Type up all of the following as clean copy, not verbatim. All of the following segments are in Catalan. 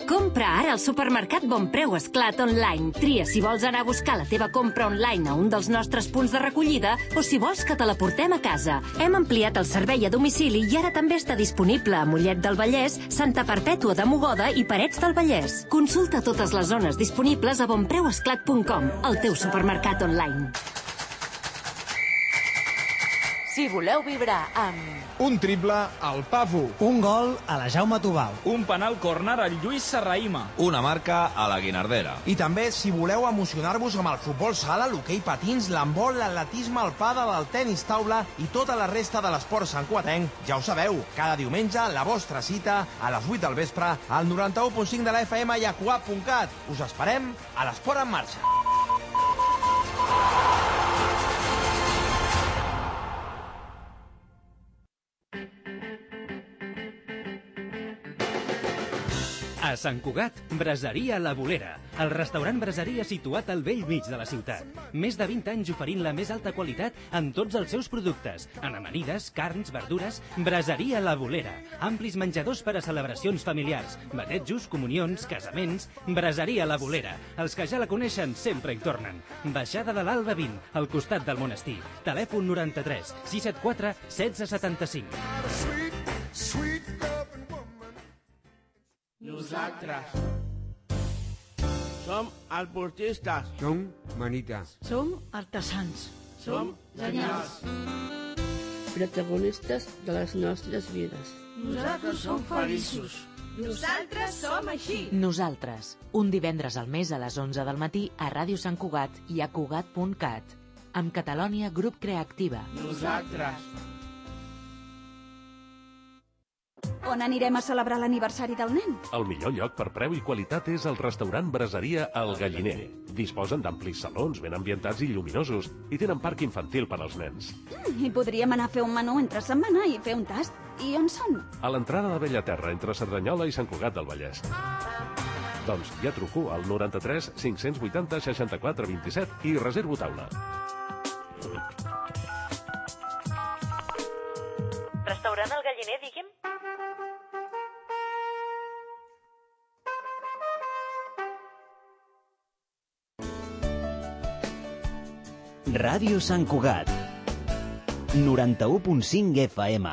Compra ara al supermercat Bonpreu Esclat online. Tria si vols anar a buscar la teva compra online a un dels nostres punts de recollida o si vols que te la portem a casa. Hem ampliat el servei a domicili i ara també està disponible a Mollet del Vallès, Santa Perpètua de Mogoda i Parets del Vallès. Consulta totes les zones disponibles a bonpreuesclat.com, el teu supermercat online. Si voleu vibrar amb... Un triple al Pavu. Un gol a la Jaume Tubau. Un penal córner al Lluís Serraïma. Una marca a la Guinardera. I també, si voleu emocionar-vos amb el futbol sala, l'hoquei patins, l'handbol, l'atletisme, el pàdel, el tenis taula i tota la resta de l'esport santcugatenc, ja ho sabeu, cada diumenge la vostra cita a les 8 del vespre al 91.5 de la FM i a cugat.cat. Us esperem a l'Esport en Marxa. A Sant Cugat, Braseria La Bolera, el restaurant braseria situat al vell mig de la ciutat. Més de 20 anys oferint la més alta qualitat en tots els seus productes, en amanides, carns, verdures. Braseria La Bolera, amplis menjadors per a celebracions familiars, batejos, comunions, casaments. Braseria La Bolera, els que ja la coneixen sempre hi tornen. Baixada de l'Alba 20, al costat del monestir. Telèfon 93 674 1675. Nosaltres som alportistes. Som manita. Som artesans. Som genials. Protagonistes de les nostres vides. Nosaltres som feliços. Nosaltres som així. Nosaltres, un divendres al mes a les 11 del matí a Ràdio Sant Cugat i a Cugat.cat. Amb Catalònia Grup Creativa. Nosaltres. On anirem a celebrar l'aniversari del nen? El millor lloc per preu i qualitat és el restaurant Braseria El Galliner. Disposen d'amplis salons ben ambientats i lluminosos i tenen parc infantil per als nens. I podríem anar a fer un menú entre setmana i fer un tast. I on són? A l'entrada de Bellaterra, entre Cerdanyola i Sant Cugat del Vallès. Doncs ja truco al 93 580 64 27 i reservo taula. Restaurant El Galliner, digui'm? Ràdio Sant Cugat 91.5 FM.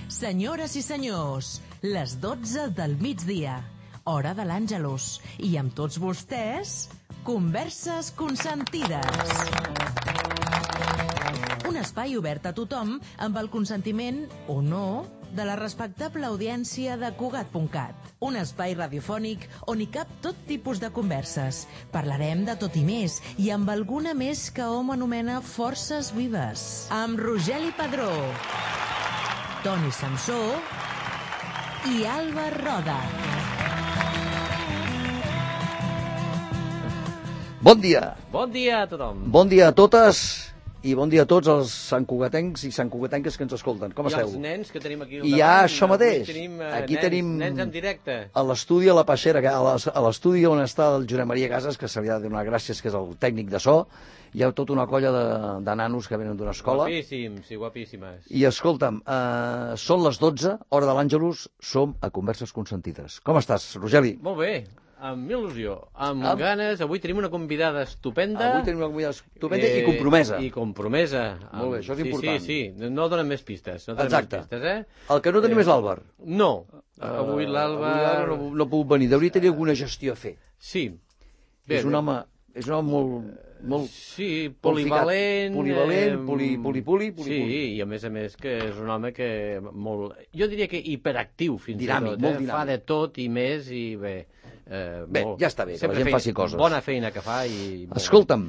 Senyores i senyors, les 12 del migdia, hora de l'Àngelus, i amb tots vostès, Converses Consentides. Un espai obert a tothom amb el consentiment, o no, de la respectable audiència de Cugat.cat. Un espai radiofònic on hi cap tot tipus de converses. Parlarem de tot i més, i amb alguna més que hom anomena forces vives. Amb Rogeli Padró, Toni Samsó i Alba Roda. Bon dia. Bon dia a tothom. Bon dia a totes i bon dia a tots els santcugatencs i santcugatenques que ens escolten. Com esteu? I els nens que tenim aquí al davant. I ja això mateix. Aquí tenim nens en directe. A l'estudi a la Peixera, a l'estudi on està el Josep Maria Casas, que se li ha de donar gràcies, que és el tècnic de so. Hi ha tota una colla de nanos que venen d'una escola. Guapíssims i guapíssimes. I escolta'm, són les 12, hora de l'Àngelus, som a Converses Consentides. Com estàs, Rogeli? Molt bé. Amb il·lusió, amb ganes. Avui tenim una convidada estupenda. Avui tenim una convidada estupenda i compromesa. I compromesa. Molt bé, això és important. Sí. No donen més pistes. Exacte. Més pistes, El que no tenim és l'Àlvar. No. Avui l'Àlvar... No ha pogut venir. Hauria de tenir alguna gestió a fer. Sí. És un home molt... Sí, polivalent. Poli. Sí, i a més que és un home que molt... Jo diria que hiperactiu fins dinàmic, i tot. Molt dinàmic. Fa de tot i més i bé. Bé, ja està bé, que la gent faci coses. Bona feina que fa i... Escolta'm,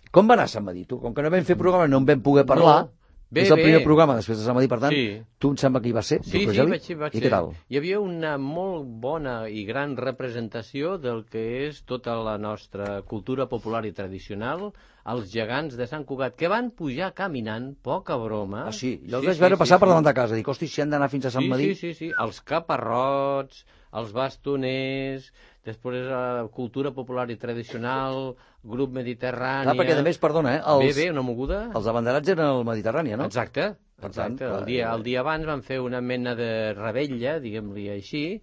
com va anar Sant Madí? Tu, com que no vam fer programa, no en vam poder parlar. És el primer programa després de Sant Madí, per tant, tu em sembla que hi va ser? Sí, vaig ser. I què tal? Hi havia una molt bona i gran representació del que és tota la nostra cultura popular i tradicional, els gegants de Sant Cugat, que van pujar caminant, poca broma. Ah, sí? Jo els vaig veure passar per davant de casa, dic, hosti, si han d'anar fins a Sant Madí... Sí, els caparrots, els bastoners, després cultura popular i tradicional, grup mediterrània... Perquè, a més, perdona, una moguda. Els abanderats eren al Mediterrània, no? Exacte. El dia abans van fer una mena de rebella, diguem-li així,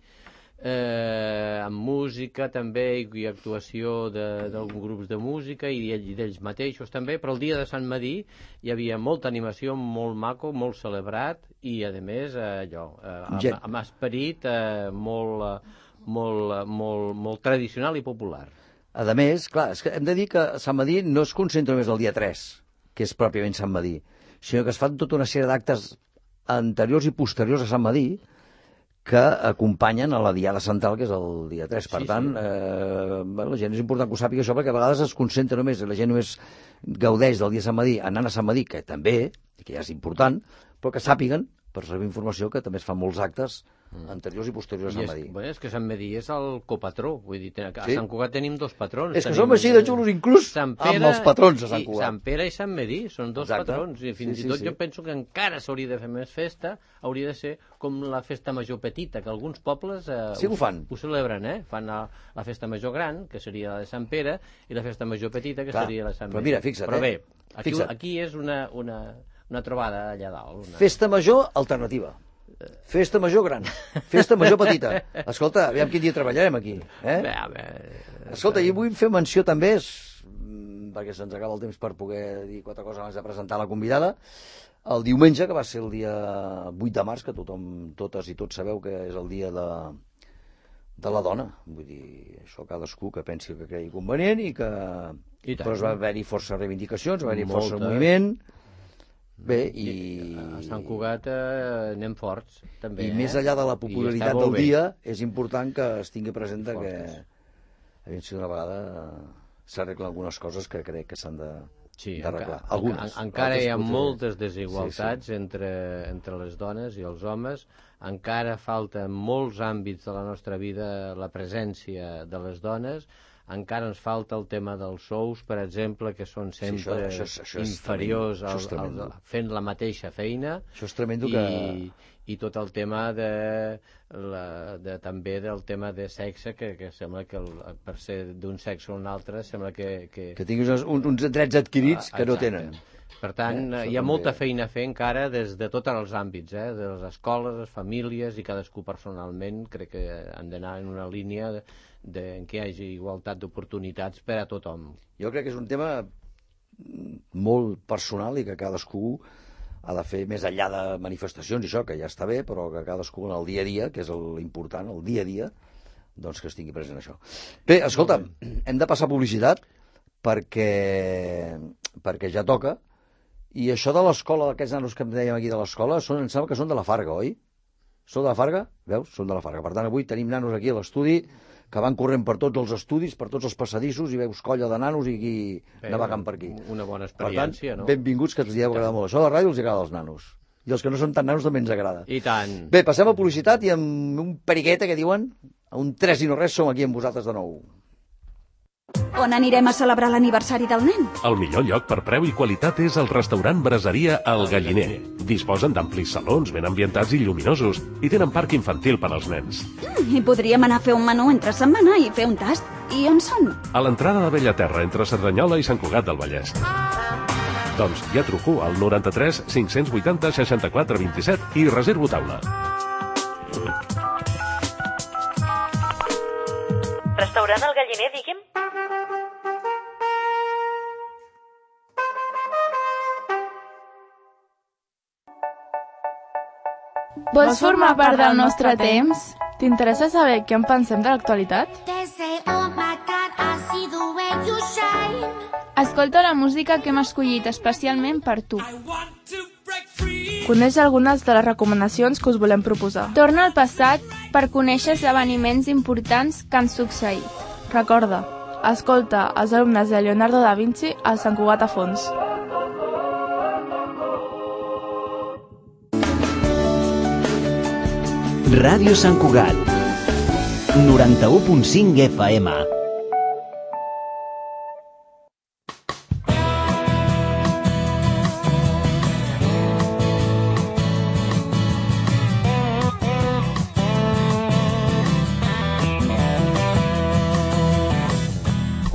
amb música també i actuació d'alguns grups de música i d'ells mateixos també, però el dia de Sant Madí hi havia molta animació, molt maco, molt celebrat i a més amb esperit molt tradicional i popular. A més, clar, és que hem de dir que Sant Madí no es concentra només el dia 3, que és pròpiament Sant Madí, sinó que es fan tota una sèrie d'actes anteriors i posteriors a Sant Madí que acompanyen a la Diada Central, que és el dia 3. Per tant, la gent és important que ho sàpiga això, perquè a vegades es concentra només, la gent només gaudeix del dia de Sant Madí anant a Sant Madí, que també, que ja és important, però que sàpiguen, per saber informació, que també es fan molts actes anteriors i posteriors a Sant Madí. És que Sant Madí és el copatró, vull dir, a Sant Cugat tenim dos patrons. És que som així de xulos inclús amb els patrons a Sant Cugat. Sant Pere i Sant Madí són dos patrons, i fins i tot jo penso que encara s'hauria de fer més festa, hauria de ser com la festa major petita, que alguns pobles ho celebren, fan la festa major gran, que seria la de Sant Pere, i la festa major petita, que seria la de Sant Madí. Però mira, fixa't, però bé, aquí és una trobada allà dalt. Festa major alternativa. Festa major gran, festa major petita. Escolta, aviam quin dia treballarem aquí. Escolta, i vull fer menció també, perquè se'ns acaba el temps per poder dir quatre coses abans de presentar la convidada, el diumenge, que va ser el dia 8 de març, que totes i tots sabeu que és el dia de la dona. Vull dir, això cadascú que pensi que cregui convenient i que... Però va haver-hi força reivindicacions, va haver-hi força moviment... Bé, i... A Sant Cugat anem forts, també. I més enllà de la popularitat del dia, és important que es tingui present que a si una vegada s'arreglen algunes coses que crec que s'han d'arreglar. Algunes. Encara hi ha moltes desigualtats entre les dones i els homes, encara falta en molts àmbits de la nostra vida la presència de les dones, encara ens falta el tema dels sous, per exemple, que són sempre inferiors fent la mateixa feina. Això és tremendo i tot el tema també del tema de sexe, que sembla que per ser d'un sexe o un altre sembla que tinguis uns drets adquirits que no tenen. Per tant, hi ha molta feina a fer encara des de tots els àmbits, de les escoles, les famílies, i cadascú personalment crec que han d'anar en una línia en què hi hagi igualtat d'oportunitats per a tothom. Jo crec que és un tema molt personal i que cadascú ha de fer més enllà de manifestacions i això, que ja està bé, però que cadascú en el dia a dia, que és l'important, el dia a dia, doncs que es tingui present això. Bé, escolta, hem de passar publicitat perquè ja toca. I això de l'escola, d'aquests nanos que em dèiem aquí de l'escola, em sembla que són de la Farga, oi? Són de la Farga? Veus? Són de la Farga. Per tant, avui tenim nanos aquí a l'estudi que van corrent per tots els estudis, per tots els passadissos, i veus colla de nanos i aquí navegant per aquí. Una bona experiència, no? Per tant, benvinguts, que ens hi heu agradat molt. Això de la ràdio els agrada als nanos. I els que no són tan nanos també ens agrada. I tant. Bé, passem a publicitat i amb un periqueta que diuen, a un 3 i no res, som aquí amb vosaltres de nou. On anirem a celebrar l'aniversari del nen? El millor lloc per preu i qualitat és el restaurant Braseria El Galliner. Disposen d'amplis salons ben ambientats i lluminosos i tenen parc infantil per als nens. I podríem anar a fer un menú entre setmana i fer un tast. I on són? A l'entrada de Bellaterra, entre Cerdanyola i Sant Cugat del Vallès. Doncs ja truco al 93 580 64 27 i reservo taula. Restaurant El Galliner, digui'm? Vols formar part del nostre temps? T'interessa saber què en pensem de l'actualitat? Escolta la música que hem escollit especialment per tu. Coneix algunes de les recomanacions que us volem proposar. Torna al passat per conèixer esdeveniments importants que han succeït. Recorda, escolta els alumnes de Leonardo da Vinci al Sant Cugat a fons. Ràdio Sant Cugat 91.5 FM.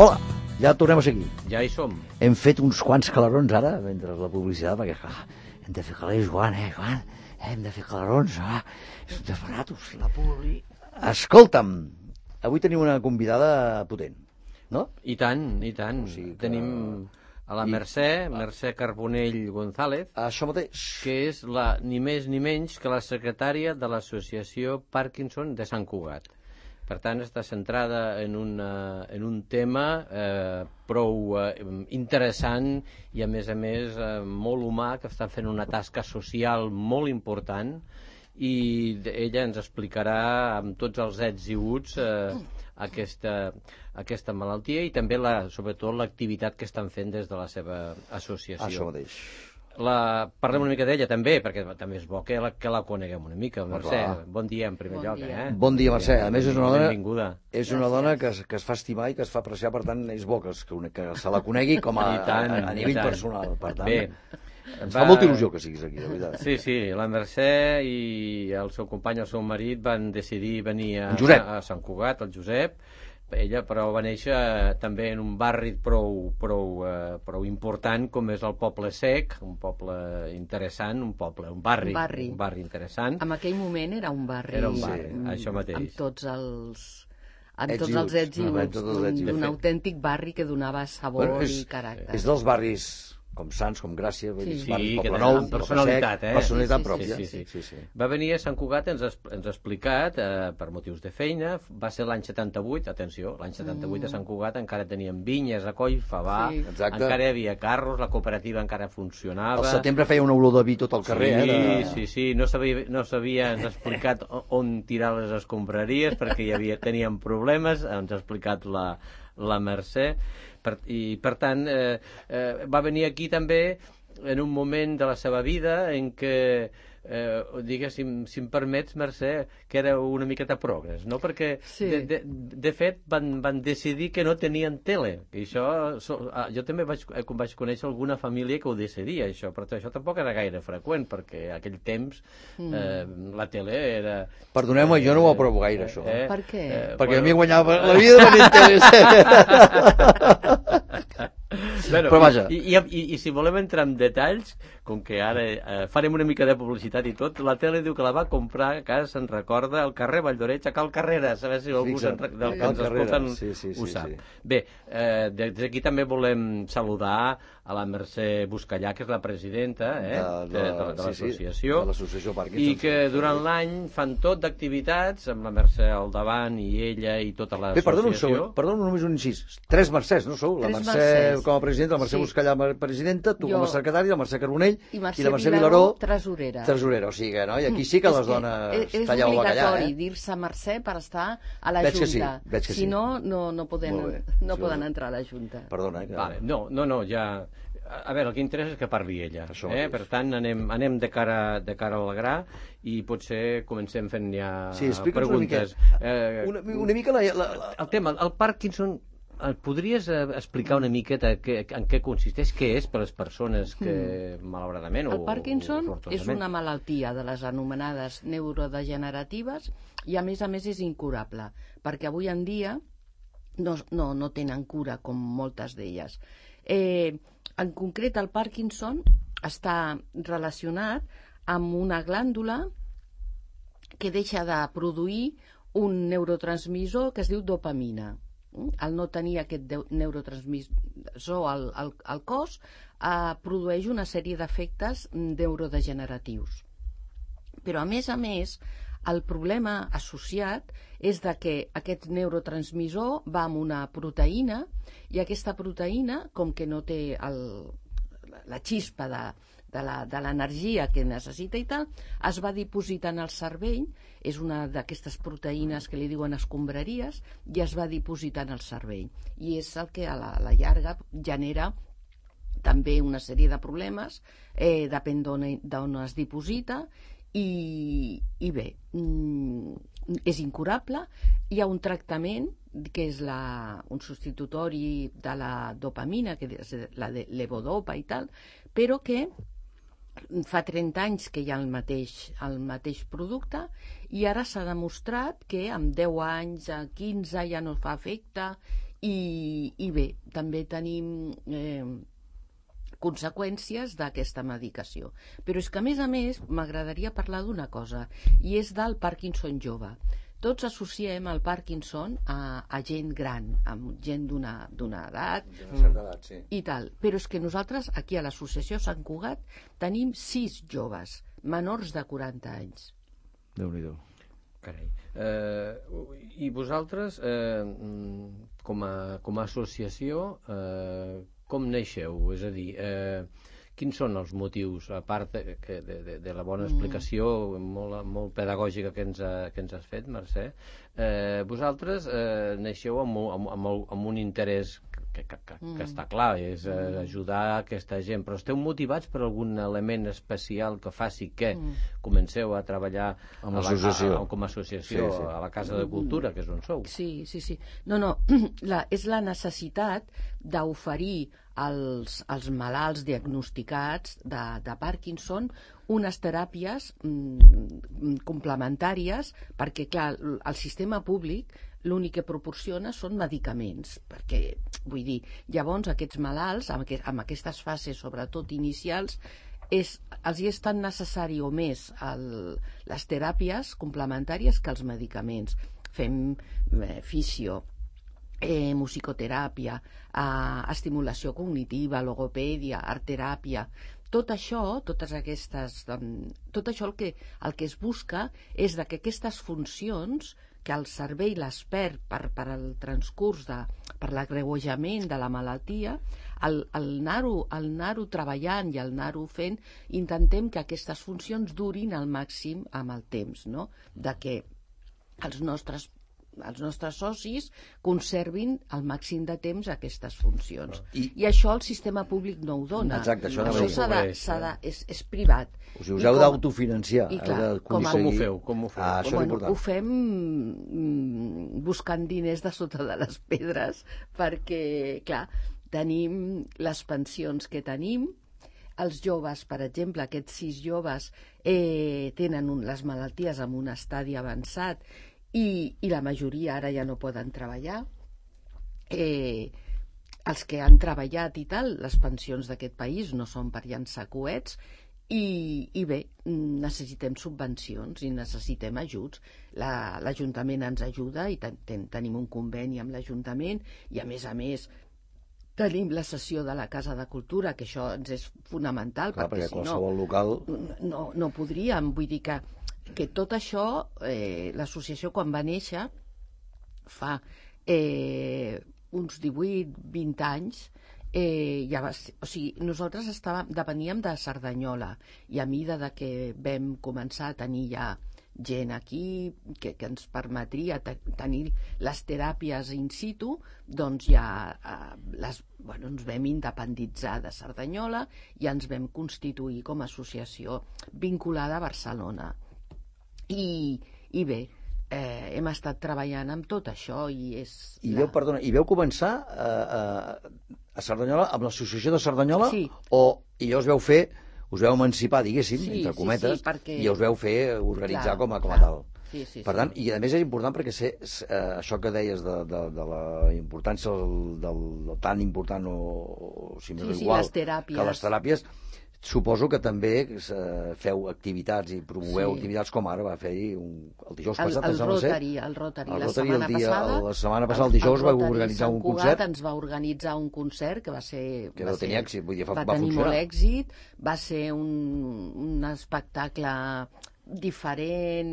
Hola, ja tornem a ser aquí. Ja hi som. Hem fet uns quants calarons ara, mentre la publicitat, perquè hem de fer calés, Joan, Joan? Hem de fer calarons, és un desbaratos, la publi. Escolta'm, avui tenim una convidada potent, no? I tant, i tant. O sigui que... Tenim a la Mercè Carbonell González, això mateix, que és ni més ni menys que la secretària de l'associació Parkinson de Sant Cugat. Per tant, està centrada en un tema prou interessant i, a més, molt humà, que està fent una tasca social molt important, i ella ens explicarà amb tots els ets i uts aquesta malaltia i també, sobretot, l'activitat que estan fent des de la seva associació. Això mateix. Parlem una mica d'ella també, perquè també és bo que la coneguem una mica. Mercè, bon dia en primer lloc. Bon dia, Mercè. A més, és una dona que es fa estimar i que es fa apreciar, per tant, és bo que se la conegui com a nivell personal. Per tant, ens fa molta il·lusió que siguis aquí, de veritat. Sí, la Mercè i el seu company, el seu marit, van decidir venir a Sant Cugat, el Josep. Ella, però, va néixer també en un barri prou important com és el Poble Sec, un poble interessant, un barri interessant. En aquell moment era un barri. Era un barri, això mateix. Amb tots els ets i uts d'un autèntic barri que donava sabor i caràcter. És dels barris com Sants, com Gràcia, Poble Nou, amb personalitat, personalitat pròpia. Va venir a Sant Cugat, ens ha explicat, per motius de feina, va ser l'any 78, atenció, l'any 78 a Sant Cugat encara teníem vinyes a coll, favar, encara hi havia carros, la cooperativa encara funcionava. Al setembre feia una olor de vi tot el carrer. Sí, no s'havien explicat on tirar les escombraries perquè teníem problemes, ens ha explicat la Mercè. I, per tant, va venir aquí també en un moment de la seva vida en què, diguéssim, si em permets, Mercè, que era una miqueta progres, no? Perquè, de fet, van decidir que no tenien tele. I això, jo també vaig conèixer alguna família que ho decidia, això, però això tampoc era gaire freqüent, perquè en aquell temps la tele era... Perdoneu-me, jo no ho aprovo gaire, això. Per què? Perquè a mi guanyava la vida venint teles. Però vaja. I si volem entrar en detalls, com que ara farem una mica de publicitat i tot, la tele diu que la va comprar, que se'n recorda, al carrer Valldoreig, a Cal Carreras, a veure si algú del que ens escolten ho sap. Bé, des d'aquí també volem saludar a la Mercè Buscallà, que és la presidenta de l'associació, i que durant l'any fan tot d'activitats, amb la Mercè al davant i ella i tota l'associació. Perdona només un incís. 3 Mercès, no sou? La Mercè com a presidenta, la Mercè Buscallà presidenta, tu com a secretari, la Mercè Carbonell i la Mercè Vilaró tresorera. O sigui que, no? I aquí sí que les dones talleu el bacallà. És obligatori dir-se Mercè per estar a la Junta. Si no, no poden entrar a la Junta. Perdona. No, ja... A veure, el que interessa és que parli ella. Per tant, anem de cara al gra i potser comencem fent ja preguntes. Una mica el tema, el Parkinson, podries explicar una miqueta en què consisteix, què és per les persones que, malauradament... El Parkinson és una malaltia de les anomenades neurodegeneratives i, a més, és incurable, perquè avui en dia no tenen cura, com moltes d'elles. En concret, el Parkinson està relacionat amb una glàndula que deixa de produir un neurotransmissor que es diu dopamina. Al no tenir aquest neurotransmissor al cos, produeix una sèrie d'efectes neurodegeneratius. Però, a més, el problema associat és que aquest neurotransmissor va amb una proteïna i aquesta proteïna, com que no té la xispa de l'energia que necessita i tal, es va dipositant al cervell, és una d'aquestes proteïnes que li diuen escombraries, i es va dipositant al cervell. I és el que a la llarga genera també una sèrie de problemes, depèn d'on es diposita, i bé, és incurable. Hi ha un tractament que és un substitutori de la dopamina, que és la de levodopa i tal, però que fa 30 anys que hi ha el mateix producte i ara s'ha demostrat que amb 10 anys, 15 ja no fa efecte I bé, també tenim conseqüències d'aquesta medicació. Però és que, a més, m'agradaria parlar d'una cosa, i és del Parkinson jove. Tots associem el Parkinson a gent gran, a gent d'una edat, i tal. Però és que nosaltres, aquí a l'associació Sant Cugat, tenim 6 joves, menors de 40 anys. Déu-n'hi-do. Carai. I vosaltres, com a associació, com neixeu? És a dir, quins són els motius, a part de la bona explicació molt pedagògica que ens has fet, Mercè? Vosaltres neixeu amb un interès que està clar, és ajudar aquesta gent, però esteu motivats per algun element especial que faci que comenceu a treballar com a associació a la Casa de Cultura, que és on sou? Sí. No, és la necessitat d'oferir als malalts diagnosticats de Parkinson unes teràpies complementàries, perquè, clar, el sistema públic l'únic que proporciona són medicaments, perquè, vull dir, llavors aquests malalts, amb aquestes fases, sobretot inicials, els és tan necessari o més les teràpies complementàries que els medicaments. Fem fisio, musicoteràpia, estimulació cognitiva, logopèdia, artteràpia. Tot això, el que es busca és que aquestes funcions que el cervell les perd per el transcurs, per l'agreujament de la malaltia, al anar-ho treballant i al anar-ho fent, intentem que aquestes funcions durin al màxim amb el temps, no? De que els nostres socis conservin al màxim de temps aquestes funcions. I això el sistema públic no ho dona. Exacte, això és privat. Us heu d'autofinanciar. Com ho feu? Ho fem buscant diners de sota de les pedres, perquè, clar, tenim les pensions que tenim. Els joves, per exemple, aquests 6 joves tenen les malalties en un estadi avançat i la majoria ara ja no poden treballar. Els que han treballat i tal, les pensions d'aquest país no són per llançar coets, i bé, necessitem subvencions i necessitem ajuts. L'Ajuntament ens ajuda i tenim un conveni amb l'Ajuntament, i a més tenim la sessió de la Casa de Cultura, que això ens és fonamental, perquè si qualsevol local no podríem. Vull dir que tot això, l'associació quan va néixer fa uns 18-20 anys, nosaltres depeníem de Cerdanyola, i a mesura que vam començar a tenir ja gent aquí que ens permetria tenir les teràpies in situ, doncs ja ens vam independitzar de Cerdanyola i ens vam constituir com a associació vinculada a Barcelona. I bé, hem estat treballant amb tot això i veu començar a Cerdanyola amb l'associació de Cerdanyola? Sí. I llavors us veu emancipar, diguéssim, entre cometes, i us veu fer organitzar com a tal. Per tant, i a més és important perquè això que deies de la importància tan important o si més igual que les teràpies, suposo que també feu activitats i promoveu activitats com ara va fer-hi el dijous passat. El Rotary. La setmana passada, el dijous, va organitzar un concert. Ens va organitzar un concert que va tenir èxit, vull dir, va tenir molt èxit, va ser un espectacle diferent,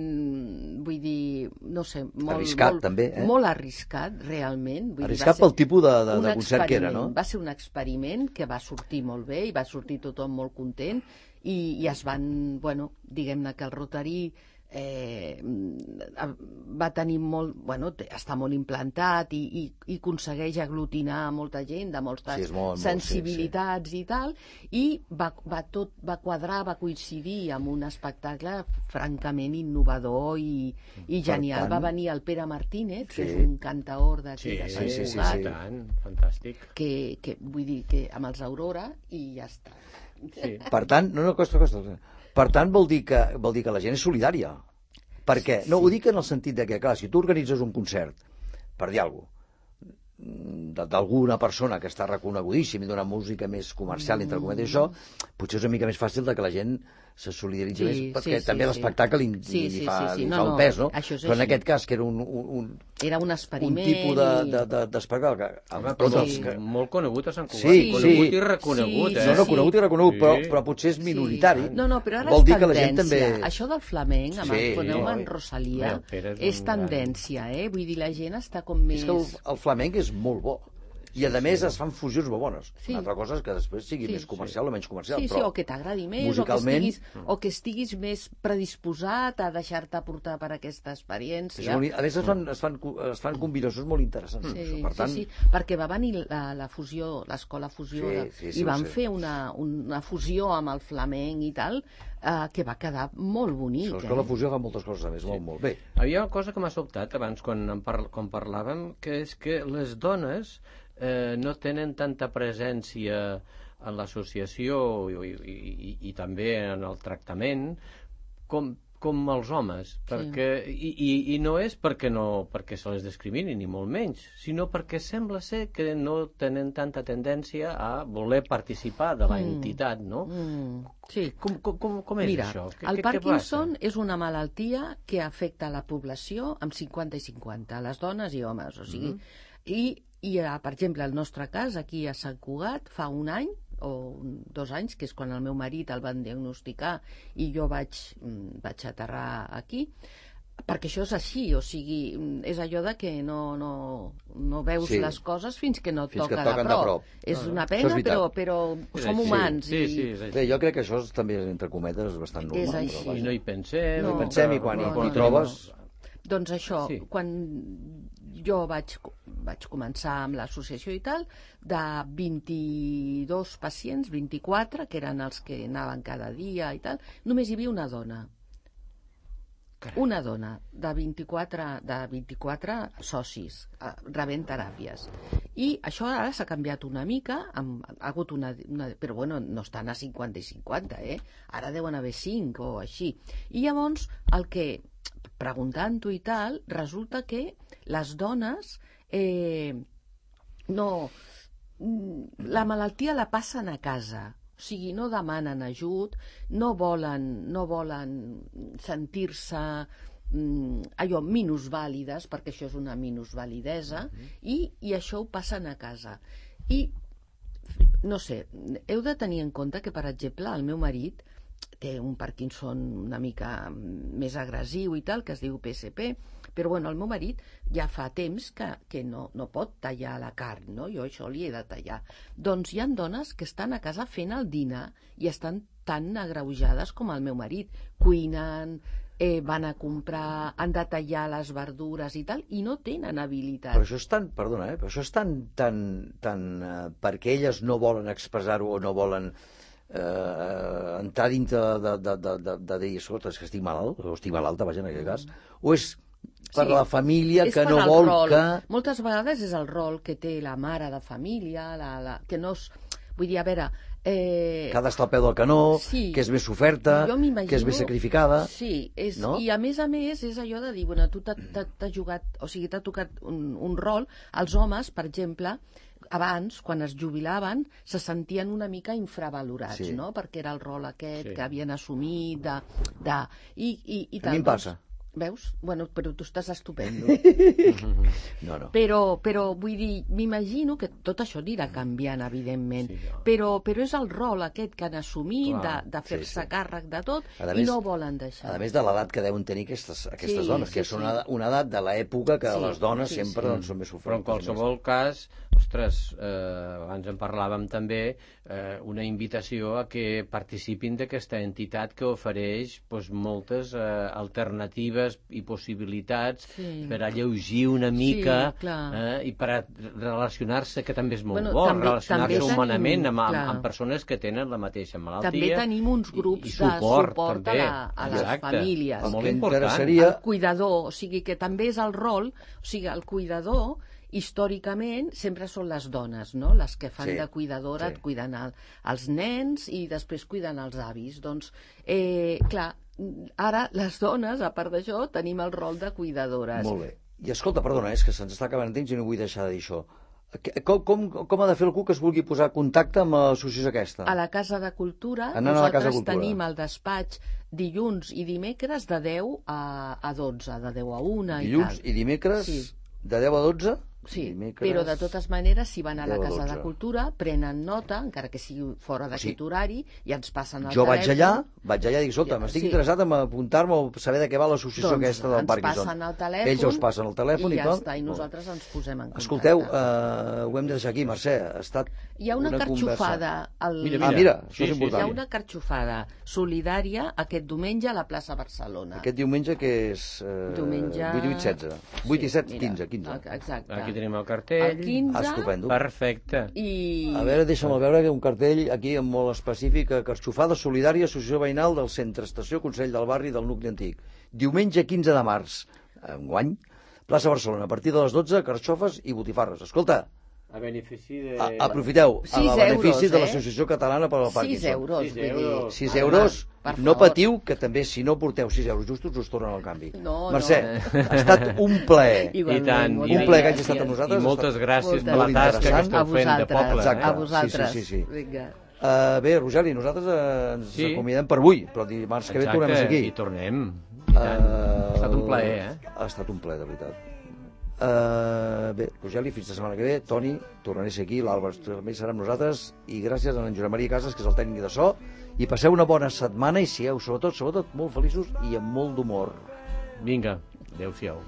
vull dir, no sé, arriscat també, molt arriscat, realment. Arriscat pel tipus de concert que era, no? Va ser un experiment que va sortir molt bé i va sortir tothom molt content, i es van, diguem-ne que el Rotary va tenir està molt implantat i aconsegueix aglutinar molta gent de moltes sensibilitats i tal, i va quadrar, va coincidir amb un espectacle francament innovador i genial. Va venir el Pere Martínez, que és un cantaor d'aquí de Sant Cugat, fantàstic, que vull dir que amb els Aurora, i ja està. Per tant, costa. Per tant, vol dir que la gent és solidària. Per què? No, ho dic en el sentit de que, clar, si tu organitzes un concert, per dir alguna cosa, d'alguna persona que està reconegudíssim i d'una música més comercial, entre cometes, això, potser és una mica més fàcil de que la gent se solidaritzi més, perquè també l'espectacle li fa un pes, no? Però en aquest cas, que era un experiment, d'espectacle... Molt conegut a Sant Cugat, conegut i reconegut. No, conegut i reconegut, però potser és minoritari. No, però ara és tendència. Això del flamenc, amb el Foneu en Rosalia, és tendència, vull dir, la gent està com més... És que el flamenc és molt bo. I a més es fan fusions molt bones. Una altra cosa és que després sigui més comercial o menys comercial. Sí, o que t'agradi més, o que estiguis més predisposat a deixar-te portar per aquesta experiència. A més es fan combinacions molt interessants. Sí, perquè va venir la fusió, l'escola fusió, i van fer una fusió amb el flamenc i tal, que va quedar molt bonic. L'escola fusió fa moltes coses, a més, molt bé. Hi ha una cosa que m'ha sobtat abans quan parlàvem, que és que les dones no tenen tanta presència en l'associació i també en el tractament com els homes, i no és perquè se les discrimini, ni molt menys, sinó perquè sembla ser que no tenen tanta tendència a voler participar de la entitat, no? Sí. Com és això? El Parkinson és una malaltia que afecta la població amb 50 i 50, les dones i homes, o sigui, i per exemple, el nostre cas, aquí a Sant Cugat, fa un any o 2 anys, que és quan el meu marit el van diagnosticar i jo vaig aterrar aquí, perquè això és així, o sigui, és allò de que no veus les coses fins que no et toca de prop. És una pena, però som humans. Bé, jo crec que això també, entre cometes, és bastant normal. És així. I no hi pensem. No hi pensem, i quan hi trobes... Doncs això, quan jo vaig començar amb l'associació i tal, de 22 pacients, 24, que eren els que anaven cada dia i tal, només hi havia una dona. Una dona de 24 socis rebent teràpies. I això ara s'ha canviat una mica, ha hagut però bueno, no estan a 50 i 50, ara deuen haver 5 o així. I llavors, preguntant-ho i tal, resulta que les dones la malaltia la passen a casa. O sigui, no demanen ajut, no volen sentir-se minusvàlides, perquè això és una minusvalidesa, i això ho passen a casa. I, no sé, heu de tenir en compte que, per exemple, el meu marit té un Parkinson una mica més agressiu i tal, que es diu PSP, però bueno, el meu marit ja fa temps que no pot tallar la carn, no? Jo això li he de tallar. Doncs hi ha dones que estan a casa fent el dinar i estan tan agreujades com el meu marit. Cuinen, van a comprar, han de tallar les verdures i tal, i no tenen habilitat. Però això és tan, perdona, però això és tan perquè elles no volen expressar-ho o no volen entrar dintre de dir, escolta, és que estic malalt, o estic malalta, vaja, en aquest cas, o és per la família que no vol que... Moltes vegades és el rol que té la mare de família, que no és... Vull dir, a veure... que ha d'estar al peu del canó, que és més oferta, que és més sacrificada... Sí, i a més és allò de dir, bueno, tu t'has jugat, o sigui, t'ha tocat un rol. Els homes, per exemple, abans, quan es jubilaven, se sentien una mica infravalorats, no? Perquè era el rol aquest que havien assumit i a mi em passa. Veus? Bueno, però tu estàs estupendo. No. Però vull dir, m'imagino que tot això anirà canviant, evidentment, però és el rol aquest que han assumit de fer-se càrrec de tot i no volen deixar. A més de l'edat que deuen tenir aquestes dones, que és una edat de l'època que les dones sempre són més ofertes. Però en qualsevol cas, ostres, abans en parlàvem també, una invitació a que participin d'aquesta entitat que ofereix moltes alternatives i possibilitats per alleugir una mica i per relacionar-se, que també és molt bo, relacionar-se humanament amb persones que tenen la mateixa malaltia. També tenim uns grups de suport a les famílies. Molt important. El cuidador, o sigui que també és el rol, o sigui, el cuidador històricament sempre són les dones, no? Les que fan de cuidadora, et cuiden els nens i després cuiden els avis. Doncs, clar, ara les dones, a part d'això, tenim el rol de cuidadores. Molt bé. I escolta, perdona, és que se'ns està acabant el temps i no vull deixar de dir això. Com ha de fer algú que es vulgui posar en contacte amb l'associació aquesta? A la Casa de Cultura, nosaltres tenim el despatx dilluns i dimecres de 10 a 12, de 10 a 1 dilluns i dimecres de 10 a 12? Sí, però de totes maneres, si van a la Casa de Cultura, prenen nota, encara que sigui fora d'aquest horari, i ens passen el telèfon. Jo vaig allà i dic, escolta, m'estic interessat en apuntar-me o saber de què va l'associació aquesta del Parkinson. Ens passen el telèfon, ells us passen el telèfon i ja està, i nosaltres ens posem en contacte. Escolteu, ho hem de deixar aquí, Mercè, ha estat hi ha una carxofada mira, això és important. Hi ha una carxofada solidària aquest diumenge a la plaça Barcelona. Aquest diumenge que és 8 i 16, 8 i 7, 15. Exacte. Aquí tenim el cartell. El 15. Estupendo. Perfecte. A veure, deixa'm veure que un cartell aquí molt específic, carxofada solidària, associació veïnal del centre, estació Consell del Barri del nucli antic. Diumenge 15 de març, enguany, plaça Barcelona, a partir de les 12, carxofes i botifarres. Escolta, a benefici de... Aprofiteu, a benefici de l'Associació Catalana per al Parkinson. 6 euros. 6 euros. No patiu, que també si no porteu 6 euros justos us tornen al canvi. Mercè, ha estat un plaer. I tant. Un plaer que hagi estat amb nosaltres. I moltes gràcies per la tasca que esteu fent de poble. A vosaltres. Sí. Vinga. Bé, Rogeli, nosaltres ens acomiadem per avui, però dimarts que ve tornem a ser aquí. I tornem. Ha estat un plaer, Ha estat un plaer, de veritat. Bé, Rogeli, fins la setmana que ve. Toni, tornaré a ser aquí, l'Àlvar també serà amb nosaltres, i gràcies a en Josep Maria Casas, que és el tècnic de so, i passeu una bona setmana i sigueu sobretot molt feliços i amb molt d'humor. Vinga, adeu-siau.